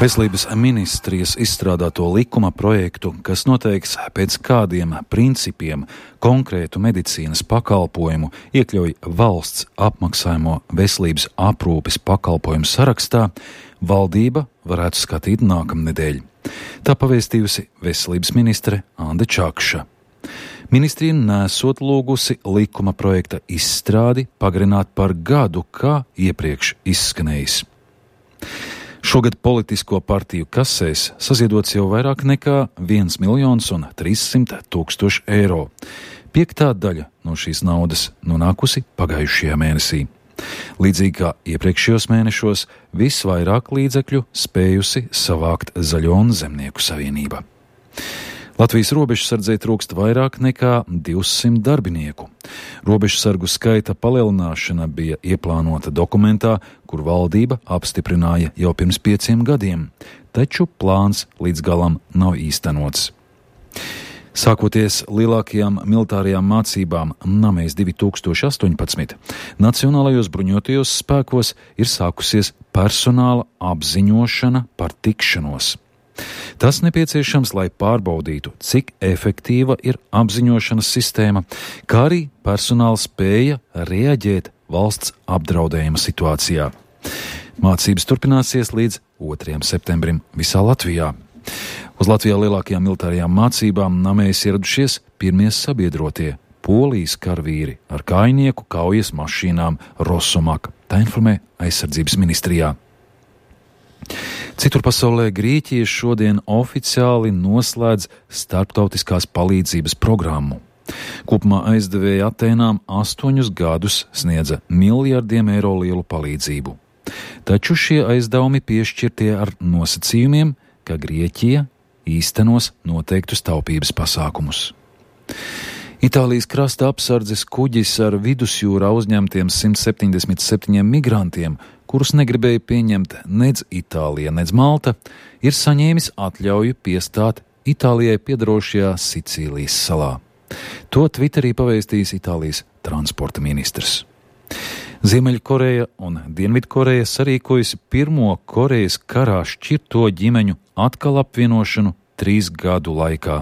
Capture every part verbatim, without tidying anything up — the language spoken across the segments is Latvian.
Veselības ministrijas izstrādāto likuma projektu, kas noteiks pēc kādiem principiem konkrētu medicīnas pakalpojumu iekļauj valsts apmaksājumo veselības aprūpes pakalpojumu sarakstā, valdība varētu skatīt nākamnedēļ. Tā pavēstījusi veselības ministre Ande Čakša. Ministrija nesot lūgusi likuma projekta izstrādi pagarināt par gadu, kā iepriekš izskanējis. Šogad politisko partiju kasēs saziedots jau vairāk nekā viens miljons un trīssimt tūkstoši eiro. Piektā daļa no šīs naudas nonākusi pagājušajā mēnesī. Līdzīgi kā iepriekšējos mēnešos, visvairāk līdzekļu spējusi savākt Zaļo un Zemnieku savienība. Latvijas robežsardzei trūkst vairāk nekā divsimt darbinieku. Robežsargu skaita palielināšana bija ieplānota dokumentā, kur valdība apstiprināja jau pirms pieciem gadiem, taču plāns līdz galam nav īstenots. Sākoties lielākajām militārajām mācībām Namejas divi tūkstoši astoņpadsmit, Nacionālajos bruņotajos spēkos ir sākusies personāla apziņošana par tikšanos. Tas nepieciešams, lai pārbaudītu, cik efektīva ir apziņošanas sistēma, kā arī personāla spēja reaģēt valsts apdraudējuma situācijā. Mācības turpināsies līdz otrajam septembrim visā Latvijā. Uz Latvijā lielākajām militārajām mācībām Namejas ieradušies pirmie sabiedrotie Polijas karavīri ar kājnieku kaujas mašīnām Rosomak, tā informē aizsardzības ministrijā. Citur pasaulē Grieķija šodien oficiāli noslēdz starptautiskās palīdzības programmu. Kopumā aizdevēja Atēnām astoņus gadus sniedza miljardiem eiro lielu palīdzību. Taču šie aizdevumi piešķirtie ar nosacījumiem, ka Grieķija īstenos noteiktus taupības pasākumus. Itālijas krasta apsardzes kuģis ar vidusjūrā uzņemtiem simt septiņdesmit septiņiem migrantiem, kurus negribēja pieņemt nec Itālija, nec Malta, ir saņēmis atļauju piestāt Itālijai piedarošajā Sicīlijas salā. To Twitterī pavēstījis Itālijas transporta ministrs. Ziemeļkoreja un Dienvidkoreja sarīkojusi pirmo Korejas karā šķirto ģimeņu atkal apvienošanu trīs gadu laikā.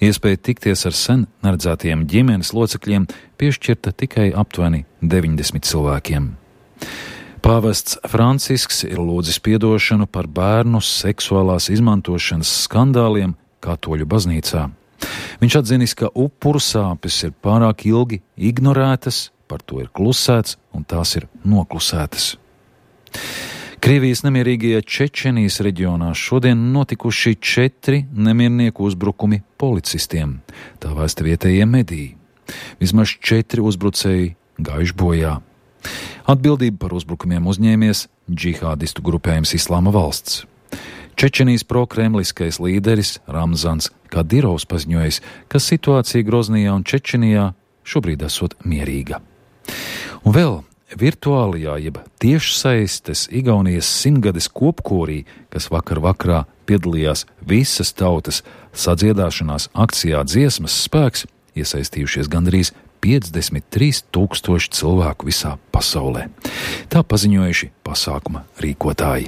Iespēja tikties ar sen neredzētiem ģimenes locekļiem piešķirta tikai aptuveni deviņdesmit cilvēkiem. Pāvests Francisks ir lūdzis piedošanu par bērnu seksuālās izmantošanas skandāliem Katoļu baznīcā. Viņš atzinis, ka upuru sāpes ir pārāk ilgi ignorētas, par to ir klusēts un tās ir noklusētas. Krievijas nemierīgajā Čečenijas reģionā šodien notikuši četri nemiernieku uzbrukumi policistiem, tā vēsta vietējie mediji. Vismaz četri uzbrucēji gājuši bojā. Atbildību par uzbrukumiem uzņēmies džihādistu grupējums Islāma valsts. Čečenijas prokremliskais līderis Ramzans Kadirovs paziņojis, ka situācija Groznijā un Čečenijā šobrīd esot mierīga. Un vēl virtuālajā jeb tiešsaistes Igaunijas simtgades kopkorī, kas vakar vakarā piedalījās visas tautas sadziedāšanās akcijā Dziesmas spēks, iesaistījušies gandrīz piecdesmit trīs tūkstoši cilvēku visā pasaulē. Tā paziņojuši pasākuma rīkotāji.